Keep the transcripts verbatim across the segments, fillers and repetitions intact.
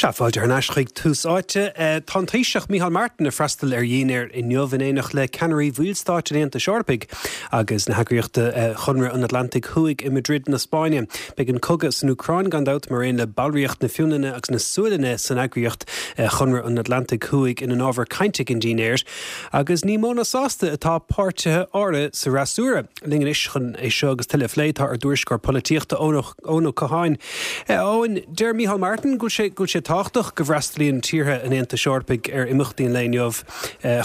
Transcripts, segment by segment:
Sea, fáilte thar n-ais chuig Tús Áite. Tá an Taoiseach Micheál Martin ag freastal ar dhinnéar inniu in éineacht le ceannairí bhallstáit an Aontais Eorpaigh agus na heagraíochta Chonradh an Atlantaigh Thuaidh i Madrid na Spáinne. Beidh an cogadh san Úcráin gan dabht mar aon le ballraíocht na Fionlainne agus na Sualainne san eagraíocht Chonradh an Atlantaigh Thuaidh ina n-ábhar cainte ag an dinnéar, agus ní mó ná sásta atá páirtithe áirithe sa fhreasúra. Linn anois chun é seo agus tuilleadh a phlé tá ár dtuairisceoir polaitíochta Eoin Ó Catháin. Eoin, deir Micheál Martin go bhfuil sé go bhfuil sé tábhachtach go bhfreastalaíonn tíortha an Aontais Eorpaigh ar imeachtaí an lae inniu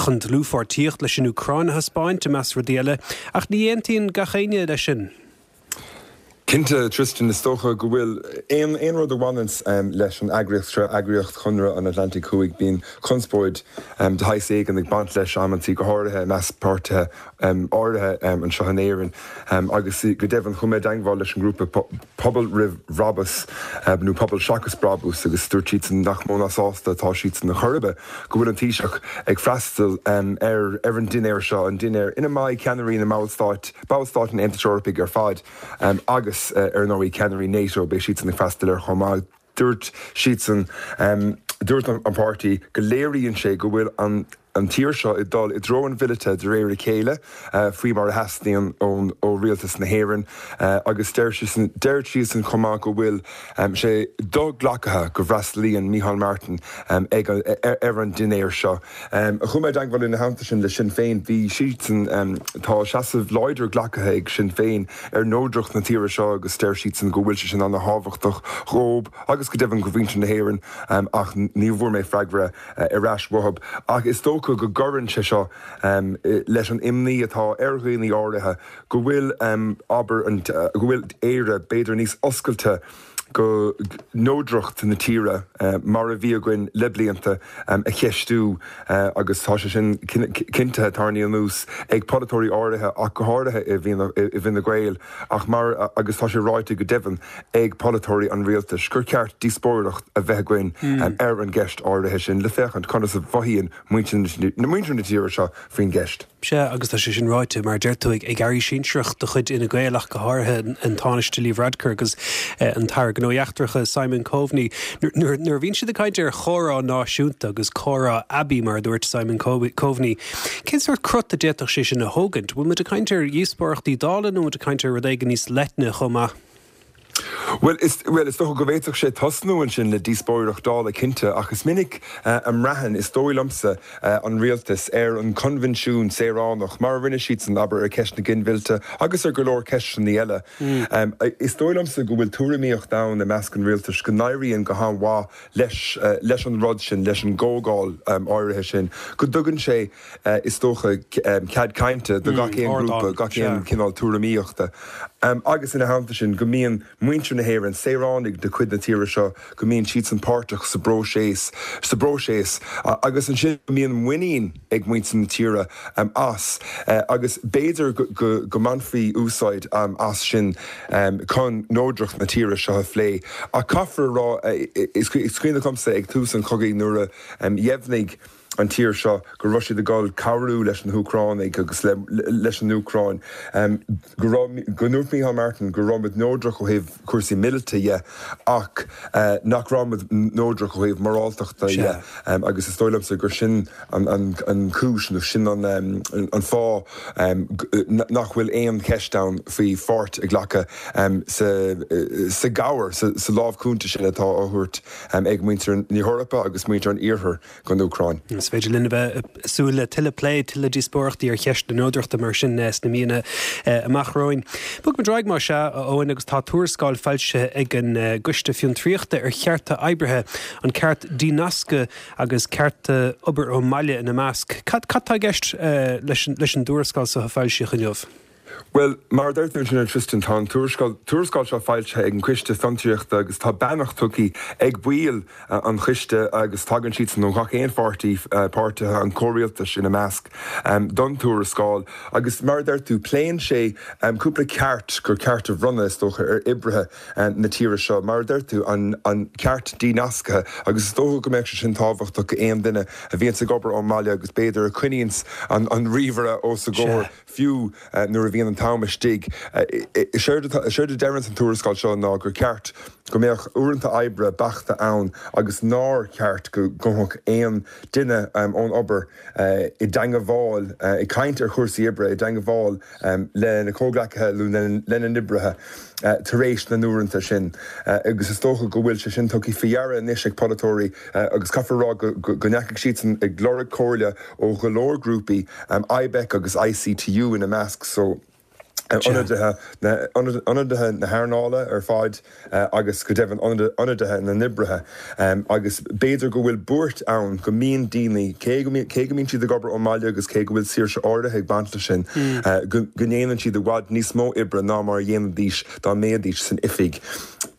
chun dlúthpháirtíocht leis an Úcráin a thaispeáint i measc rudaí eile, ach ní aontaíonn gach éinne leis sin. Cinnte, Tristan, is dócha go bhfuil aon aon rud a bhaineann leis an eagraíocht seo, eagraíocht Chonradh an Atlantaigh Thuaidh, bíonn conspóid de shaghas éigin ag baint leis amantaí, go háirithe i measc páirtithe áirithe anseo in Éirinn. Agus go deimhin chuaigh mé i dteagmháil leis an ngrúpa Pobal Roimh Bhrabús nó Pobal Seachas Brabús agus dúirt siadsan nach mó ná sásta atá siadsan ar chor ar bith go bhfuil an Taoiseach ag freastal ar ar an dinnéar seo, an dinnéar ina mbeidh ceannairí na mballstát, ballstáit an Aontais Eorpaigh ar fad agus ar ndóigh ceannairí NATO, beidh siadsan ag freastal air chomh maith. Dúirt siadsan, dúirt an páirtí go léiríonn sé go bhfuil an an tír seo ag dul i dtreo an mhíleata de réir a chéile, faoi mar a theastaíonn ón ó rialtas na hÉireann, agus deir siadsan deir siadsan chomh maith go bhfuil sé do-ghlactha go bhfreastalaíonn Micheál Martin ag ar an dinnéar seo. Chuaigh mé i dteagmháil ina theannta sin le Sinn Féin, bhí siadsan tá seasamh láidir glactha ag Sinn Féin ar neodracht na tíre seo agus deir siadsan go bhfuil sé sin an-thábhachtach dhóibh agus go deimhin do mhuintir na hÉireann ach ní bhfuair mé freagra ar ais uathu. Ach is dócha go gcuireann sé seo leis an imní atá ar dhaoine áirithe go bhfuil abair go bhfuil Éire b'fhéidir níos oscailte go neodracht na tíre mar a bhí againn le blianta a cheistiú agus tá sé sin cinnte tarraingthe anuas ag polaiteoirí áirithe ach go háirithe i bhFine Gael ach mar agus tá sé ráite go deimhin ag polaiteoirí an rialtais gur ceart díospóireacht a bheith againn ar an gceist áirithe sin le féachaint conas a mhothaíonn muintir na tíre seo faoin gceist. Sea, agus tá sé sin ráite, mar a deir tú, ag airí sinsearach de chuid Fhine Gael ach go háirithe an Tánaiste Leo Varadkar agus an tAire Gnóthaí Eachtracha Simon Coveney. Nuair a bhíonn siad ag caint ar chomhrá náisiúnta agus comhrá aibí, mar a dúirt Simon Coveney, cén sórt crot a d'fhéadfadh sé sin a thógaint? Bhfuil muid ag caint ar dhíospóireachtaí Dála nó muid ag caint ar rud éigin níos leithne chomh maith? Well, is, well, is dócha go bhféadfadh sé tosnú ansin le díospóireacht Dála cinnte, ach is minic a mbraitheann, is dóigh liomsa, an rialtas ar an coinbhinsiún saoránach, mar a rinne siadsan, abair, ar cheist na ginmhillte agus ar go leor ceisteanna eile. Is dóigh liomsa go bhfuil tuairimíocht ann i measc an rialtais go n-éiríonn go han-mhaith leis, leis an rud sin, leis an gcomhdháil áirithe sin, go dtugann sé, is dócha, cead cainte do gach aon ghrúpa, gach aon chineál tuairimíochta. Agus ina theannta sin, go mbíonn muintir na hÉireann, saoránaigh de chuid na tíre seo, go mbíonn siadsan páirteach sa bpróiseas, sa bpróiseas, agus ansin go mbíonn muinín ag muintir na tíre as, agus b'fhéidir go go mbainfí úsáid as sin chun neodracht na tíre seo a phlé. Ach caithfear a rá, is cuimhin liomsa ag tús an chogaidh nuair a dheimhnigh an tír seo go raibh siad ag dul cabhrú leis na hÚcránaigh agus leis an Úcráin, go raibh, go ndúirt Micheál Martin go raibh muid neodrach ó thaobh cúrsaí míleata dhe ach nach raibh muid neodrach ó thaobh moráltachta dhe agus is dóigh liomsa gur sin an chúis nó sin an fáth nach bhfuil aon cheist ann faoi pháirt a ghlacadh sa gcabhair, sa lámh chúnta sin atá á thabhairt ag muintir na hEorpa agus muintir an Iarthair don Úcráin. Is féidir linn a bheith ag súil le tuilleadh plé, tuilleadh díospóireachtaí ar cheist na neodrachta mar sin sna míonna amach romhainn. Bogfaimid ar aghaidh más ea, a Eoin, agus tá tuarascáil foilsithe ag an gCoiste Fiontraíochta ar chearta oibrithe, an ceart dínasctha agus cearta obair ón mbaile ina measc. Cad cad tá i gceist leis an dtuarascáil seo a foilsíodh inniu? Bhuel, mar a deir tú ansin, a Tristan, tá an tuarascáil tuarascáil seo foilsithe ag an Coiste Fiontraíochta agus tá beannacht tugtha ag baill an choiste agus tagann siadsan ó gach aon pháirtí, páirtithe an chomhrialtais ina measc, don tuarascáil. Agus mar a deir tú, pléann sé cúpla ceart gur ceart a bhronnadh, is dócha, ar oibrithe na tíre seo. Mar a deir tú, an an ceart dínasctha agus is dócha go mbeadh sé sin tábhachtach go aon duine a bhíonns ag obair ón mbaile agus b'fhéidir a choinníonns an an ríomhaire os a gcomhair fiú nuair a bhíonn an t-am istigh. Séard a deireann an tuarascáil seo ná gur ceart go mbeadh uaireanta oibre beachta ann agus nár cheart go ngabhfadh aon duine ón obair i dteagmháil, ag caint ar chúrsaí oibre, i dteagmháil lena chomhghleacaithe nó lena n-oibrithe tar éis na n-uaireanta sin. Agus is dócha go bhfuil sé sin tugtha faoi deara anois ag polaiteoirí agus caithfear a rá go ndeachaigh siadsan ag lorg comhairle ó go leor grúpaí, IBEC agus ICTU ina measc, so ionadaithe ionadaithe na hearnála ar fad agus go deimhin ionadaithe na n-oibrithe. Agus b'fhéidir go bhfuil buairt ann go mbíonn daoine, cé go cé go mbíonn siad ag obair ón mbaile agus cé go bhfuil saoirse áirithe ag baint leis sin, go ndéanann siad i bhfad níos mó oibre ná mar a dhéanfaidís dá mbeidís san oifig.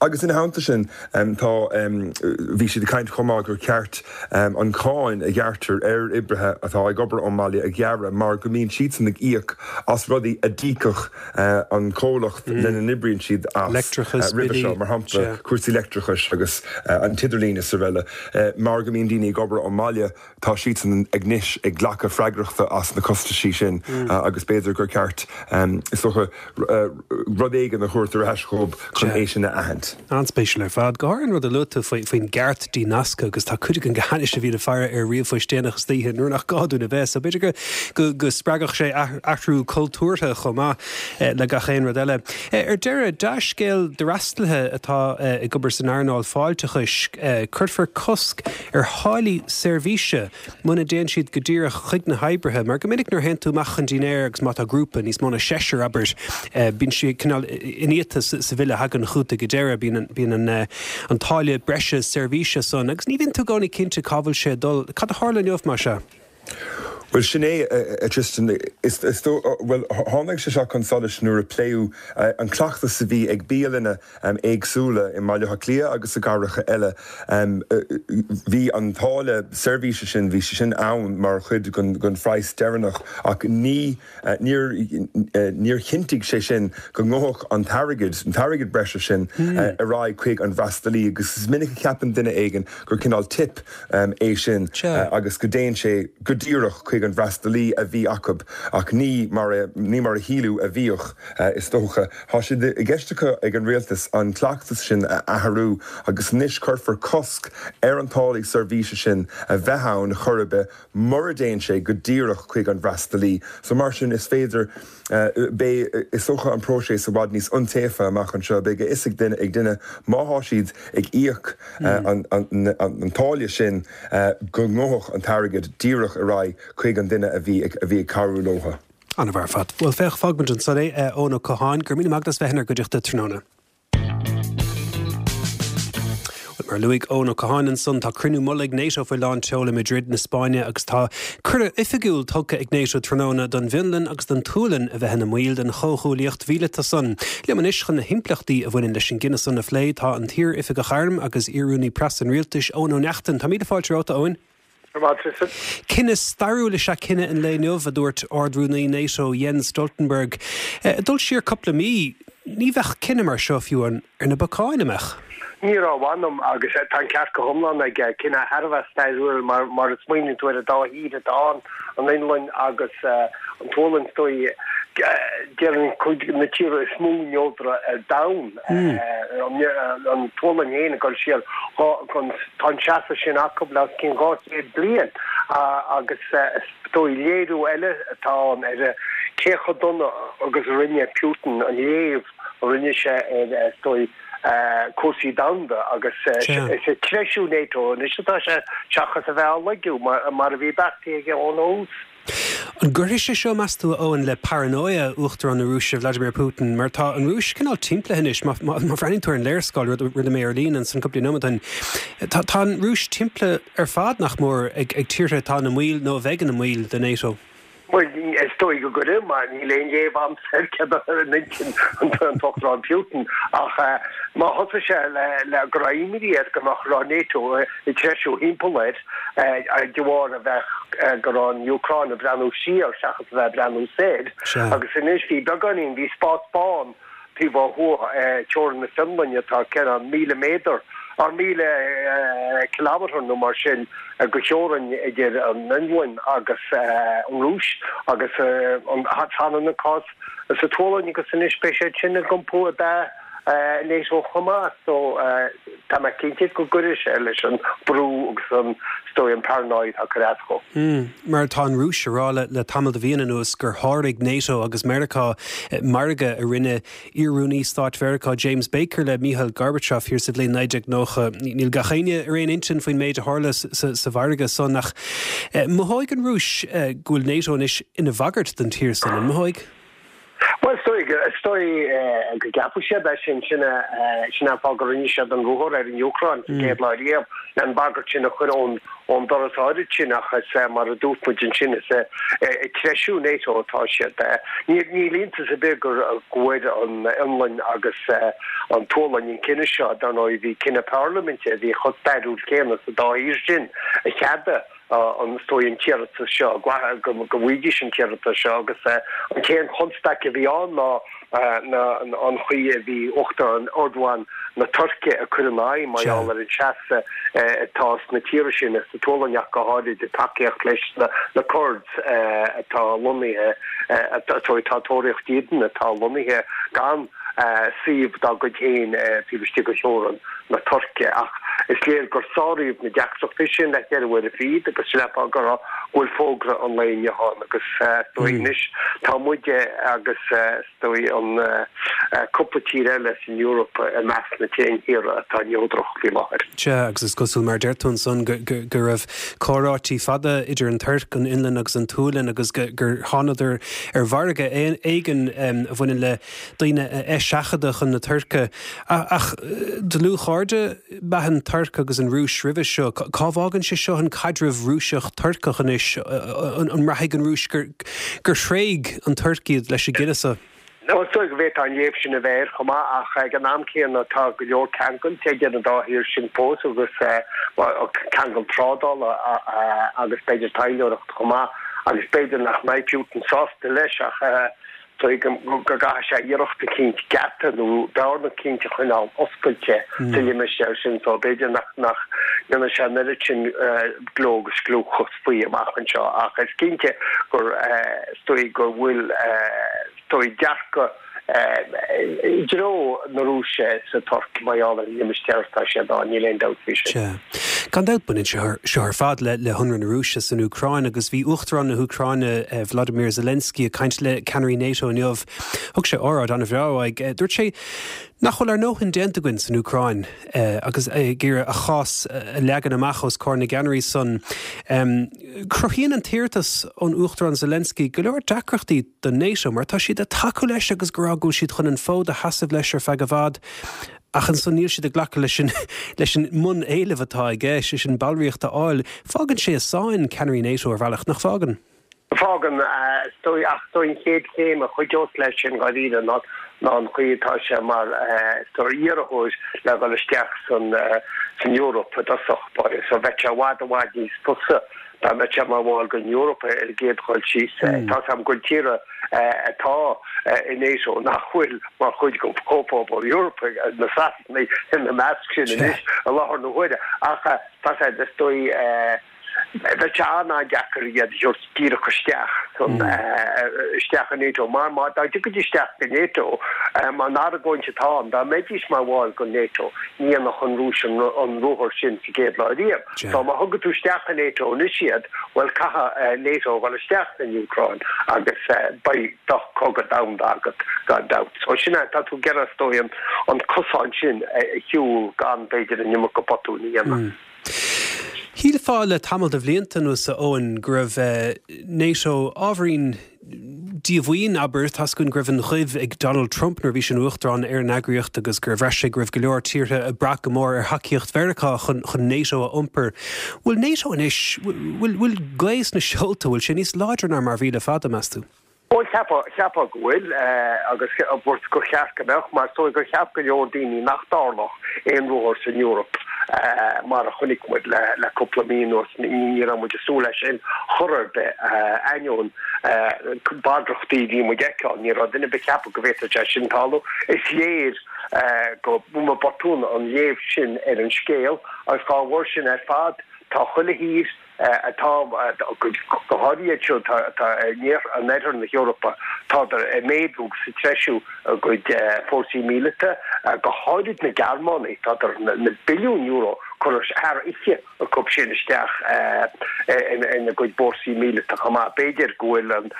Agus ina theannta sin, tá, bhí siad ag caint chomh maith gur cheart an cháin a ghearrtar ar oibrithe atá ag obair ón mbaile a ghearradh mar go mbíonn siadsan ag íoc as rudaí a d'íocfadh an comhlacht lena n-oibríonn siad as roimhe seo, mar shampla cúrsaí leictreachais agus an t-idirlíon is araile. Mar go mbíonn daoine ag obair ón mbaile, tá siadsan anois ag glacadh freagrachta as na costaisí sin agus b'fhéidir gur ceart, is dócha, rud éigin a thabhairt ar ais dhóibh chun é sin a aithint. An-spéisiúil ar fad. Go háirithe an rud a luaigh tú faoin gceart dínasctha agus tá cuid againn go hainnis a bhíonn ag faire ar ríomhphoist déanach istoíche nuair nach gá dúinn a bheith, so b'fhéidir go go spreagfadh sé athrú cultúrtha chomh maith le gach aon rud eile. Ar deireadh, dea-scéal d'fhreastalaithe atá ag obair san earnáil fáilteachais, cuirfear cosc ar tháillí seirbhíse muna dtéann siad go díreach chuig na hoibrithe, mar go minic nuair a théann tú amach chun dinnéir agus má tá grúpa, níos mó ná seisear, abair, bíonn sé cineál iniata sa bhille a thagann chugat ag an deireadh, bíonn bíonn an an táille breise seirbhíse san agus ní bhíonn tú i gcónaí cinnte cá bhfuil sé ag dul. Cad a tharla inniu, mar sea? Bhuel, sin é, a Tristan. Is dóigh, bhuel, tháinig sé seo chun solais nuair a pléadh an cleachtas a bhí ag bialanna éagsúla i mBaile Átha Cliath agus i gcathracha eile. Bhí an táille seirbhíse sin, bhí sé sin ann mar chuid den phraghas deireanach ach ní, níor, níor chinntigh sé sin go ngabhfadh an t-airgead, an t-airgead breise sin ar aghaidh chuig an bhfreastalaí agus is minic a cheapann duine éigin gur cineál tip é sin agus go dtéann sé go díreach chuig an bhfreastalaí a bhí acu ach ní mar a ní mar a shíleadh a bhíodh, is dócha. Tá sé i gceist acu ag an rialtas an cleachtas sin a athrú agus anois cuirfear cosc ar an táillí seirbhíse sin a bheith ann chor ar bith mura dtéann sé go díreach chuig an bhfreastalaí. So mar sin is féidir, beidh, is dócha, an próiseas i bhfad níos iontaofa amach anseo. Beidh a fhios ag duine ag duine má thá siad ag íoc an an táille sin go ngabhfadh an t-airgead díreach ar aghaidh chuig an duine a bhí a bhí ag cabhrú leo. An-mhaith ar fad. Bhuel, féach, fágfaimid ansan é, Eoin Ó Catháin, go raibh míle maith agat as bheith inár gcuideachta tráthnóna. Bhuel, mar a luaigh Eoin Ó Catháin ansan, tá cruinniú mullaigh NATO faoi lán tseoil i Madrid na Spáinne agus tá cuireadh oifigiúil tugtha ag NATO tráthnóna don bhFionlainn agus don tSualainn a bheith ina mbaill den chomhghuaillíocht mhíleata san. Liom anois chun na himpleachtaí a bhaineann leis an gcinneadh san a phlé tá an t-iar-oifigeach airm agus iar-rúnaí preasa an rialtais, Eoin Ó Neachtain. Tá míle fáilte romhat, a Eoin. Cinneadh stairiúil is ea cinneadh an lae inniu, a dúirt Ard-Rúnaí NATO Jens Stoltenberg. Ag dul siar cúpla mí, ní bheadh cinneadh mar seo fiú ar na bacáin, an mbeadh? Ní raibh, mh'anam, agus tá an ceart go hiomlán aige. Cinneadh thar a bheith stairiúil mar mar a smaoiníonn tú ar an dá thír atá ann, an Fhionlainn agus an tSualainn, is dóigh. Déarfainn cuid de na tíortha is mó neodraithe ar domhan, an tSualainn féin ag dul siar dhá, tá an seasamh sin acu le os cionn dhá chéad bliain agus is dóigh léiriú eile atá ann ar cé chomh dona agus a rinne Putin an léamh a rinne sé ar is dóigh cúrsaí domhanda agus is ag treisiú NATO anois atá sé seachas a bheith á laigiú mar a bhí beartaithe aige ón thús. An gcuirfidh sé seo, meas tú, a Eoin, le paranóia Uachtarán na Rúise, Vladimir Putin, mar tá an Rúis cineál timplithe anois, má bhreathnaíonn tú ar an léarscáil, rud a rinne mé ar líne ansan cúpla nóiméad ó shin, tá tá an Rúis timplithe ar fad, nach mór, ag ag tíortha atá ina mbaill nó a bheidh ina mbaill de NATO. Bhuel, is dóigh go gcuirfidh, mar níl aon léamh a'msa ar céard atá ar intinn an tUachtaráin Putin, ach má thosaigh sé le go raibh imní air go mbeadh raibh NATO ag treisiú thimpeall air de bharr a bheith go raibh an Úcráin ag breathnú siar seachas a bheith ag breathnú soir, agus anois bhí beagáinín, bhí spás bán taobh ó thuaidh teorainn na Fionlainne atá ceithre míle méadar, or míle kilometre nó mar sin de theorainn idir an Fhionlainn agus an Rúis agus an t-ann an cás sa tSualainn agus anois beidh siad sin ag iompú ab ea NATO chomh maith so tá mé cinnte go gcuirfidh sé leis an brú agus an is dóigh an paranoid a chur eatarthu. Mar tá an Rúis ag rá le tamall de mhíonna anuas gur sháraigh NATO agus Meiriceá margadh a rinne iar-rúnaí stáit Mheiriceá James Baker le Michael Gorbachev thiar sa bhliain naoi déag nócha. Níl gach éinne ar aon intinn faoin méid a tharla sa mhargadh san ach mothóidh an Rúis go bhfuil NATO anois ina bhagairt don tír san, an mothóidh? Bhuel, is dóigh, is dóigh go gceapfadh siad é sin, sin sin an fáth go rinne siad an ruathar ar an Úcráin sa gcéad lá riamh, le an bhagairt sin a chur ón ón doras áirid sin ach is mar a dúirt muid ansin is ag treisiú NATO atá siad. Níl níl iontas ar bith gur go bhfuair an Fhionlainn agus an tSualainn an cinneadh seo, dar ndóigh bhí cinneadh parlaiminte a bhí chomh stairiúil céanna sa dá thír sin a cheadaigh an is dóigh an t-iarratas seo, go bhfaighidís an t-iarratas seo agus an t-aon chonstaic a bhí ann ná an chaoi a bhí Uachtarán Erdogan na Tuirce ag cur ina aghaidh mar gheall ar an seasamh atá sna tíortha sin, sa tSualainn ach go háirid, i dtacaíocht leis na Kurds atá lonnaithe, atá tóraíocht iadsan atá lonnaithe gan suíomh dá gcuid féin taobh istigh de theorainn na Tuirce. Ach is léir gur sáraíodh na deacrachtaí sin le ceithre huaire fichead agus sin an fáth go raibh go bhfuil fógra an lae inniu ann agus is dóigh anois tá muide agus is dóigh an cúpla tír eile san Eoraip i measc na t-aon thíortha atá neodrach faoi láthair. Sea, agus is cosúil mar a deir tú ansan go go raibh comhráití fada idir an Tuirc, an Fhionlainn agus an tSualainn agus gur thánadar ar mhargadh éigin a bhaineann le daoine a eiseachadadh chun na Tuirce. Ach dlúthchairde ab ea an Tuirc agus an Rúis roimhe seo. Cá bhfágann sé seo an caidreamh Rúiseach-Turcach anois? An mbraithfidh an Rúis gur thréig an Tuirc iad leis an gcinneadh seo? Is dóigh go bhféadfadh an léamh sin a bheith air chomh maith ach ag an am céanna tá go leor ceangailte idir an dá thír sin fós agus ceangal trádála agus b'fhéidir taidhleoireacht chomh maith agus b'fhéidir nach mbeidh Putin sásta leis ach dóigh go gcaithfidh sé iarracht eicínt geata nó bearna eicínt a choinneáil oscailte sa limistéar sin so b'fhéidir nach nach ndéanfaidh sé an oiread sin gleo agus gliúchas faoi amach anseo ach is cinnte gur is dóigh go bhfuil is dóigh dearcadh i dtreo na Rúise sa Tuirc mar gheall ar an limistéar atá siad ann, níl aon dabht faoi sin. Sea. Gan dabht baineann sé seo ar fad le le hionradh na Rúise san Úcráin agus bhí Uachtarán na hÚcráine Volodymyr Zelensky ag caint le ceannairí NATO inniu. Thug sé óráid an-bhreá uaidh. Dúirt sé nach bhfuil ár ndóthain déanta againn san Úcráin agus é ag iarraidh a chás a leagan amach os comhair na gceannairí san. Cruthaíonn an t-iarratas ón Uachtarán Zelensky go leor deacrachtaí do NATO mar tá siad ag tacú leis agus ag rá go bhfuil siad chun an fód a sheasamh leis ar feadh i bhfad ach ansan níl siad ag glacadh leis an leis an mbun-éileamh atá aige, sé sin ballraíocht a fháil. Fágann sé i sáinn ceannairí NATO ar bhealach, nach bhfágann? Fágann, ach is dóigh an chéad chéim a chuideos leis sin dháiríre ná ná an chaoi atá sé mar is dóigh iarrthóir le dhul isteach san san Eoraip i dtosach báire. So bheadh sé i bhfad i bhfad níos fusa dá mbeadh sé mar bhall den Eoraip ar an gcéad dhul síos. Tá 's agam go bhfuil tíortha atá i NATO nach bhfuil mar chuid den Chomhphobal Eorpach, na Sasanaigh ina measc sin anois i láthair na huaire. Ach tá sé is dóigh bheadh sé an-an-deacair iad a thabhairt díreach isteach san isteach i NATO mar má dá dtiocfaidís isteach go NATO mar an argóint atá ann dá mbeidís mar bhall go NATO ní dhéanfadh an Rúis an an ruathar sin sa gcéad lá riamh. So má thugann tú isteach i NATO anois iad bhuel caithfidh NATO a dhul isteach san Úcráin agus beidh do chogadh domhanda agat gan dabht. So sin é tá tú ag iarraidh is dóigh an an cosán sin a shiúl gan b'fhéidir an iomarca botún a dhéanamh. Shílfeá le tamall de bhlianta anuas, a Eoin, go raibh NATO ábhairín díomhaoin, abair, tá's againn go raibh an ghoimh ag Donald Trump nuair a bhí sé ina uachtarán ar an eagraíocht agus gur bhraith sé go raibh go leor tíortha ag brath go mór ar thacaíocht Mheiriceá chun chun NATO a iompar. Bhfuil NATO anois, bhfuil bhfuil gaoth sna seolta, bhfuil sé níos láidre ná mar a bhí le fada, meas tú? Bhuel, cheapfá go bhfuil, agus gur cheart go mbeadh, mar is dóigh gur cheap go leor daoine nach dtarlódh aon ruathar san Eoraip mar a chonaic muid le cúpla mí anuas. Ní raibh muid ag súil leis sin chor ar bith, ainneoin bagrachtaí a bhí muid a fheiceáil. Ní raibh duine ar bith ag ceapadh go bhféadfadh sé sin tarlú. Is léir go mba botún an léamh sin ar an scéal agus dá bharr sin ar fad, tá chuile thír, atá go háirithe iad siúd atá in oirthear na hEorpa, tádar ag méadú agus ag treisiú a gcuid fórsaí míleata, go háirid na Gearmánaigh, tádar na billiúin euro curtha thar oíche acu sin isteach ina gcuid fórsaí míleata chomh maith. B'fhéidir go bhfuil an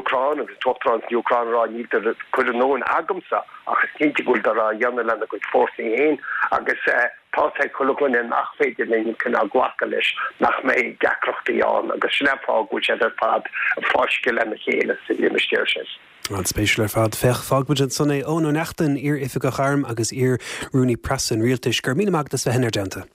Úcráin agus an tUachtarán san Úcráin ag rá níltear ag cur a ndóthain agamsa ach is cinnte go bhfuiltear á dhéanamh lena gcuid fórsaí féin agus tá ag chuile dhuine nach féidir linn cineál glacadh leis nach mbeidh deacrachtaí ann agus sin an fáth go bhfuil siad ar fad ag fáisceadh lena chéile sa limistéar sin. An-spéisiúil ar fad. Féach, fágfaimid ansan é. Eoin Ó Neachtain, iar-oifigeach airm agus iar-rúnaí preasa an rialtais. Go raibh míle maith agat as bheith inár dteannta.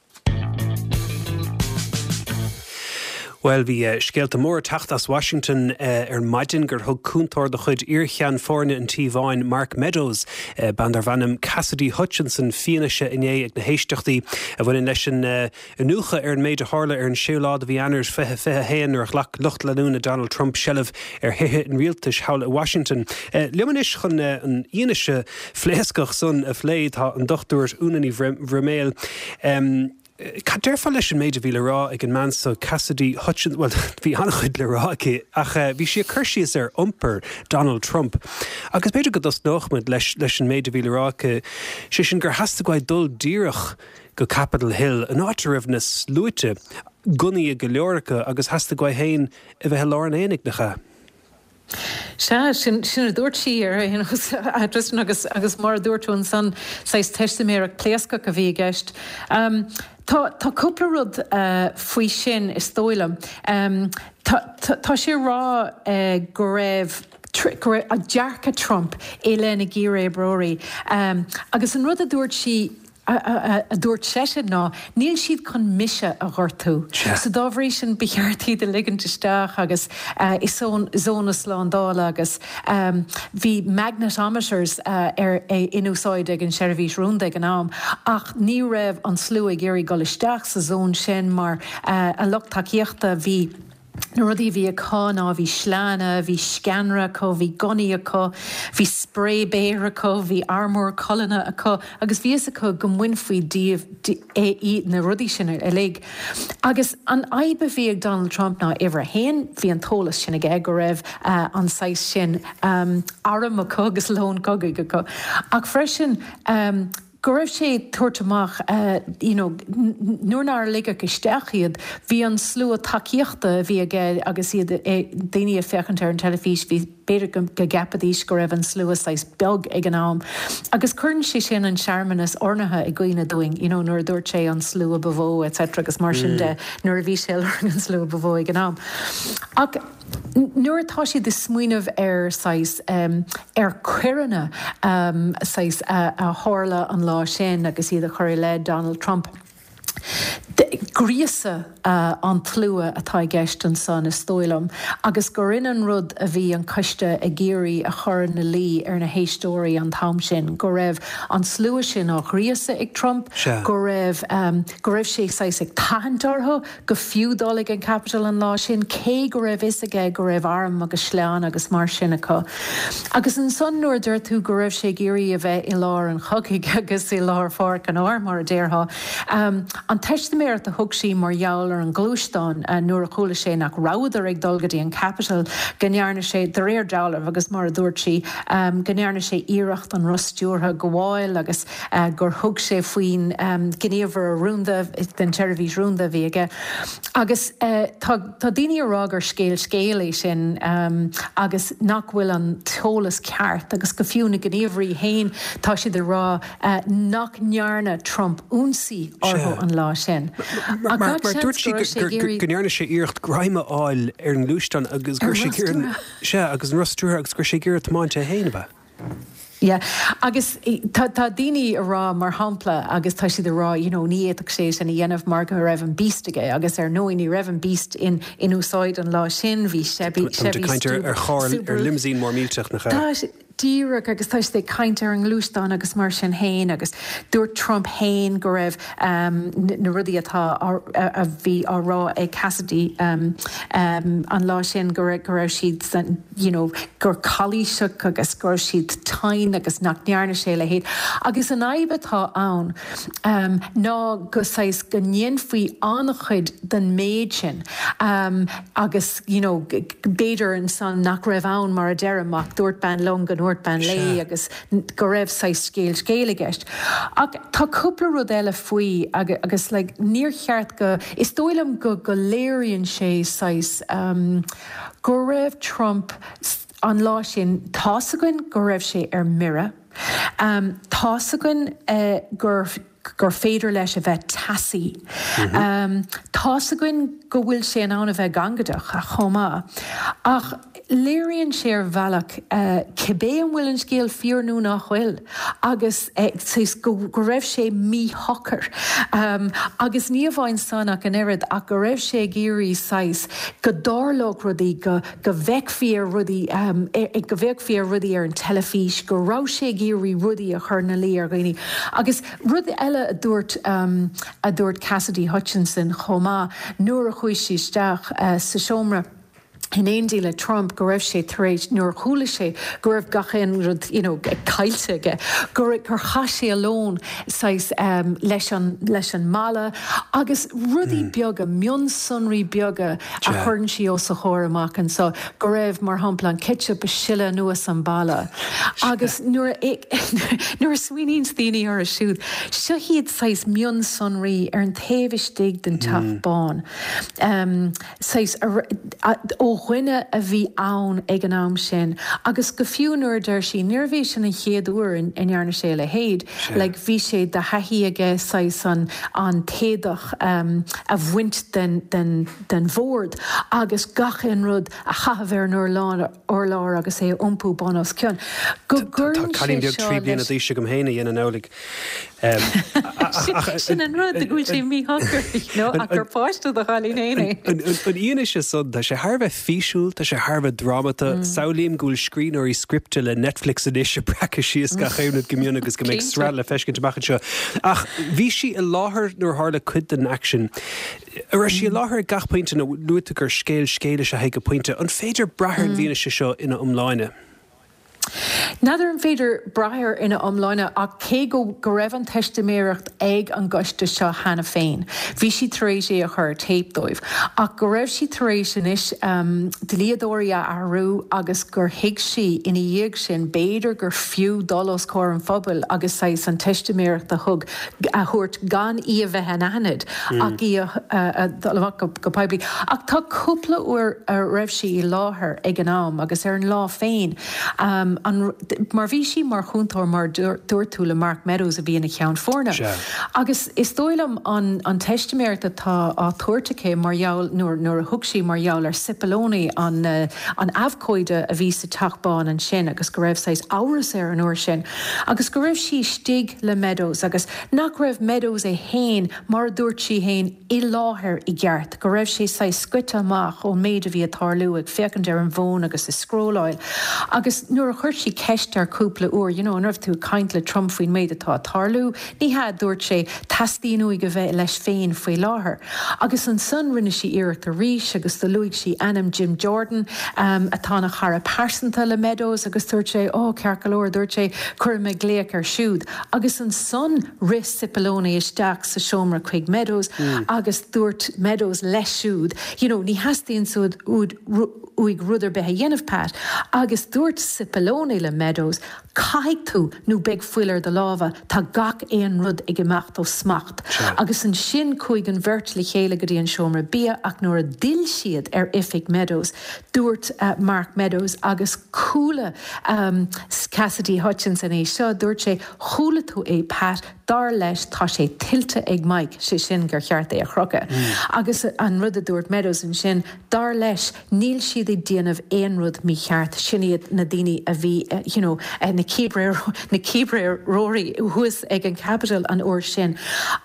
Bhuel, bhí scéalta móra ag teacht as Washington ar maidin gur thug cúntóir de chuid iarcheann foirne an Tí Bháin, Mark Meadows, bean darbh ainm Cassidy Hutchinson, fianaise inné ag na héisteachtaí a bhaineann leis an iniúchadh ar an méid a tharla ar an séú lá de mhí Eanáir fiche fiche a haon nuair a ghlac lucht leanúna Donald Trump seilbh ar thithe an rialtais thall i Washington. Liom anois chun an fhianaise phléascach san a phlé tá an Dochtúir Úna Ní Bhroiméil. Cad déarfá leis an méid a bhí le rá ag an mbean so, Cassidy Hutchinson, bhuel, bhí an-chuid le rá aici, ach bhí sí ag cur síos ar iompar Donald Trump. Agus b'fhéidir go dtosnódh muid leis leis an méid a bhí le rá aici, sé sin gur theastaigh uaidh dul díreach go Capitol Hill, an áit a raibh na sluaite, gunnaí ag go leor acu, agus theastaigh uaidh féin a bheith i lár an aonaigh, nach ea? Sea, sin sin a dúirt sí ar aon nós, a Tristan, agus agus mar a dúirt tú ansan, saghas teistiméireacht pléascach a bhí i gceist. Tá tá cúpla rud faoi sin is dóigh liom. Tá tá sé ag rá go raibh go raibh dearcadh Trump i leith na gcíréibeoirí agus an rud a dúirt sí, a dúirt seisean ná, níl siad chun mise a ghortú. So dá bhrí sin ba cheart iad a ligint isteach agus i zón na slándála agus bhí magnetometers ar in úsáid ag an seirbhís rúnda ag an am ach ní raibh an slua ag iarraidh dul isteach sa zón sin mar a lucht tacaíochta bhí Na rudaí a bhí acu ná bhí sleánna, bhí sceanra acu, bhí gunnaí acu, bhí sprae béir acu, bhí armúr colainne acu agus bhí fhios acu go mbainfí díobh é na rudaí sin uilig. Agus an fhadhb a bhí ag Donald Trump ná uimhir a haon, bhí an t-eolas sin aige go raibh an saghas sin arm acu agus lón cogaidh acu ach freisin go raibh sé ag tabhairt amach you know nuair nár ligeadh isteach iad, bhí an slua tacaíochta a bhí aige agus iad daoine ag féachaint ar an teilifís, bhí b'fhéidir go gceapfaidís go raibh an slua saghas beag ag an am. Agus cuireann sé sin an searmanas oirnithe i gcuimhne dúinn, you know nuair a dúirt sé an slua ba mhó etc agus mar sin de nuair a bhí sé ag lorg an slua ba mhó ag an am. Ach nuair atá siad ag smaoineamh ar saghas ar coireanna saghas a tharla an lá sin agus iad a chur i leith Donald Trump, gríosadh an tslua atá i gceist ansan is dóigh liom agus gur in an rud a bhí an coiste ag iarraidh a chur ina luí ar na héisteoirí an t-am sin, go raibh an slua sin á ghríosadh ag Trump, go raibh go raibh sé saghas ag tathant orthu go fiú dul ag an Capitol an lá sin, cé go raibh fhios aige go raibh arm agus sleán agus mar sin acu. Agus ansan nuair a deir tú go raibh sé ag iarraidh a bheith i lár an chogaidh agus i lár pháirc an áir, mar a déarfá, an teistiméireacht a thug sí mar gheall ar an ngluaisteán nuair a chuala sé nach rabhadar ag dul go dtí an Capitol, go ndearna sé, de réir dealraimh agus mar a dúirt sí, go ndearna sé iarracht an roth stiúrtha a ghabháil agus gur thug sé faoin ngníomhaire rúnda den tseirbhís rúnda a bhí aige. Agus tá tá daoine ag rá gur scéal scéil é sin agus nach bhfuil an t-eolas ceart agus go fiú na gníomhairí féin tá siad ag rá nach ndearna Trump ionsaí orthu an lá sin. Ach gach seans go raibh sé ag iarraidh. Go ndearna sé iarracht greim a fháil ar an ngluaisteán agus go raibh sé ag iarraidh. Sea, agus an roth stiúrtha agus go raibh sé ag iarraidh tiomáint é féin, ab ea? Yeah. Agus tá tá daoine ag rá, mar shampla, agus tá siad ag rá, you know, ní fhéadfadh sé sin a dhéanamh mar go raibh an Beast aige agus ar ndóigh ní raibh an Beast in in úsáid an lá sin, bhí Chevy Táimid ag Chevy caint ar ar charr, ar Subaru. limousine mór millteach, nach ea? Tá Díreach agus tá siad ag caint ar an ngluaisteán agus mar sin féin agus dúirt Trump féin go raibh na rudaí atá a bhí á rá ag Cassidy an lá sin go raibh go raibh siad you know gur calaoiseach agus go raibh siad tinn agus nach ndearna sé a leithéid. Agus an fhadhb atá ann ná go saghas go ndéanfaí an-chuid den méid sin agus you know b'fhéidir ansan nach raibh ann mar a deirim ach dúirt bean liom go ndúirt bean léi agus go raibh saghas scéal scéil i gceist. Ach tá cúpla rud eile faoi agus like níor cheart go, is dóigh liom go go léiríonn sé saghas um, go raibh Trump an lá sin tá's againn go raibh sé ar mire. Um, tá's againn uh, gur gur féidir leis a bheith teasaí. Um, tá's againn go bhfuil sé in ann a bheith gangaideach chomh maith. Ach léiríonn sé ar bhealach uh, cibé an bhfuil an scéal fíor nó nach bhfuil agus uh, go, go raibh sé míshocair. Um, agus ní amháin san ach an oiread ach go raibh sé ag iarraidh saghas go dtarlódh rudaí go, go bhfeicfí ar rudaí um, e, e, go bhfeicfí ar rudaí ar an teilifís, go raibh sé ag iarraidh rudaí a chur ina luí ar dhaoine. Agus rud eile a dúirt um, a dúirt Cassidy Hutchinson chomh maith nuair a chuaigh sí isteach uh, sa seomra in éindí le Trump go raibh sé tar éis nuair a chuala sé go raibh gach aon rud you know, caillte aige, gur gur chaith sé a lón saghas um, leis an leis an mballa agus rudaí mm. beaga mionsonraí beaga a chuireann sí os a chomhair amach anso go raibh mar shampla an ketchup ag sileadh anuas an balla. Agus nuair nuair a smaoiníonn daoine orthu siúd, seo iad saghas mionsonraí ar an taobh istigh den Teach mm. Bán. Um, saghas ó dhuine a bhí ann ag an am sin agus go fiú nuair a deir sí níorbh é sin an chéad uair a ndearna sé a leithéid, like bhí sé de thaithí aige saghas an an t-éadach um, a bhaint den, den, den bhord agus gach aon rud a chaitheamh ar an urlár, urlár agus é a iompú bun os cionn. Go gcuireann sé seo leis. Trí bliana d'aois agam féin a dhéanann amhlaidh. Sin an rud go bhfuil sé míshocair nó ach gur páiste do chailín féin é. An fhianaise san tá sé thar a bheith físiúil, tá sé thar a bheith drámata, samhlaím go bhfuil scríbhneoirí scripte le Netflix anois ag breacadh síos gach aon rud go mion agus go mbeidh sraith le feiscint amach anseo. Ach bhí sí i láthair nuair a tharla cuid den aicsean. An raibh sí i láthair ag gach pointe nó luaigh tú gur scéal scéil is ea é go pointe. An féidir brath ar an bhfianaise seo ina iomláine? N'fheadar an féidir brath air ina iomláine ach cé go go raibh an teistiméireacht ag an gcoiste seo cheana féin, bhí siad tar éis é a chur ar téip dóibh, ach go raibh sí tar éis anois um, dlíodóirí a athrú agus gur thuig sí ina dhiaidh sin b'fhéidir gur fiú dul os comhair an phobail agus saghas an teistiméireacht a thug a thabhairt gan í a bheith anaithnid mm. ach í a, a, a dul amach go, go poiblí. Ach tá cúpla uair a raibh sí i láthair ag an am agus ar an lá féin. Um, an, mar bhí sí mar chúntóir mar dúirt tú le Mark Meadows a bhí ina cheann foirne. Agus is dóigh liom an, an teistiméireacht atá á tabhairt aici mar gheall nuair, nuair a thug sí mar gheall ar Cipollone an, uh, an abhcóide a bhí sa Teach Bán ansin agus go raibh saghas amhras air an uair sin. Agus go raibh sí istigh le Meadows agus nach raibh Meadows é féin mar a dúirt sí féin i láthair i gceart, go raibh sé saghas scoite amach ón méid a bhí ag tarlú ag féachaint ar an bhfón agus ag scrolláil. Agus nuair a chuir sí ceist air cúpla uair, you know, an raibh tú ag caint le Trump faoin méid atá ag tarlú, ní hea, a dúirt sé, teastaíonn uaidh a bheith leis féin faoi láthair. Agus ansan rinne sí iarracht arís agus do luaigh sí ainm Jim Jordan, um, atá ina chara pearsanta le Meadows agus dúirt sé, ó, ceart go leor, dúirt sé, cuirfidh mé glaoch air siúd. Agus ansan rith Cipollone isteach sa seomra chuig Meadows mm. agus dúirt Meadows leis siúd, you know, ní theastaíonn uaidh rud ar bith a dhéanamh Pat, agus dúirt Cipollone le Meadows, caithfidh tú nó beidh fuil ar do lámha, tá gach aon rud ag imeacht ó smacht. Agus ansin chuaigh an bheirt le chéile go dtí an seomra bia ach nuair a d'fhill siad ar oifig Meadows, dúirt uh, Mark Meadows agus chuala um, Cassidy Hutchinson é seo, dúirt sé chuala tú é Pat, dar leis tá sé tuillte ag Mike, sé sin gur cheart é a chrochadh. Mm. Agus an rud a dúirt Meadows ansin, dar leis níl siad ag déanamh aon rud mícheart, sin iad na daoine a bhí you know, na na cíbréireoirí thuas ag an Capitol an uair sin.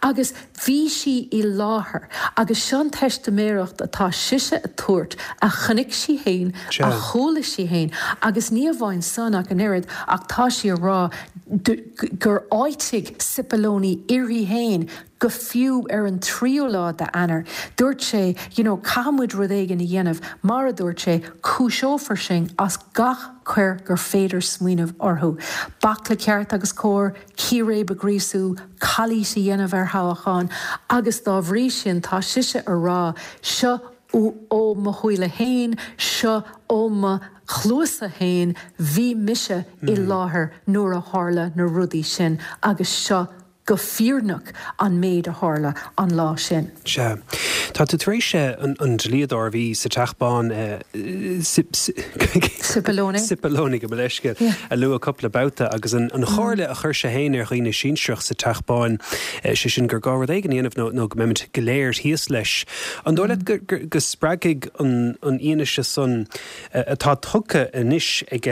Agus bhí sí i láthair agus seo an teistiméireacht atá sise a tabhairt a chonaic sí féin, a chuala sí féin, agus ní amháin san ach an oiread ach tá sí ag rá gur áitigh Cipollone uirthi féin go fiú ar an tríú lá d'Eanáir. Dúirt sé, you know, caithfidh muid rud éigin a dhéanamh, mar a dúirt sé, cúiseofar sinn as gach coir gur féidir smaoineamh orthu. Bac le ceart agus cóir, círéib a ghríosú, calaois a dhéanamh ar thoghchán, agus dá bhrí sin tá sise a rá, seo ó mo shúile féin, seo ó mo chluasa féin, bhí mise i láthair nuair a tharla na rudaí sin agus seo go fírinneach an méid a tharla an lá sin. Sea. Tá tú tar éis an dlíodóir a bhí sa Teach Bán, Cipollone. Cipollone gabh mo leithscéal, a lua cúpla babhta agus an chomhairle a chuir sé féin ar dhaoine sinsearach sa Teach Bán, sé sin gur gá rud éigin a dhéanamh nó go mbeimid go léir thíos leis. An dóigh leat go spreagfaidh an fhianaise san atá tugtha anois ag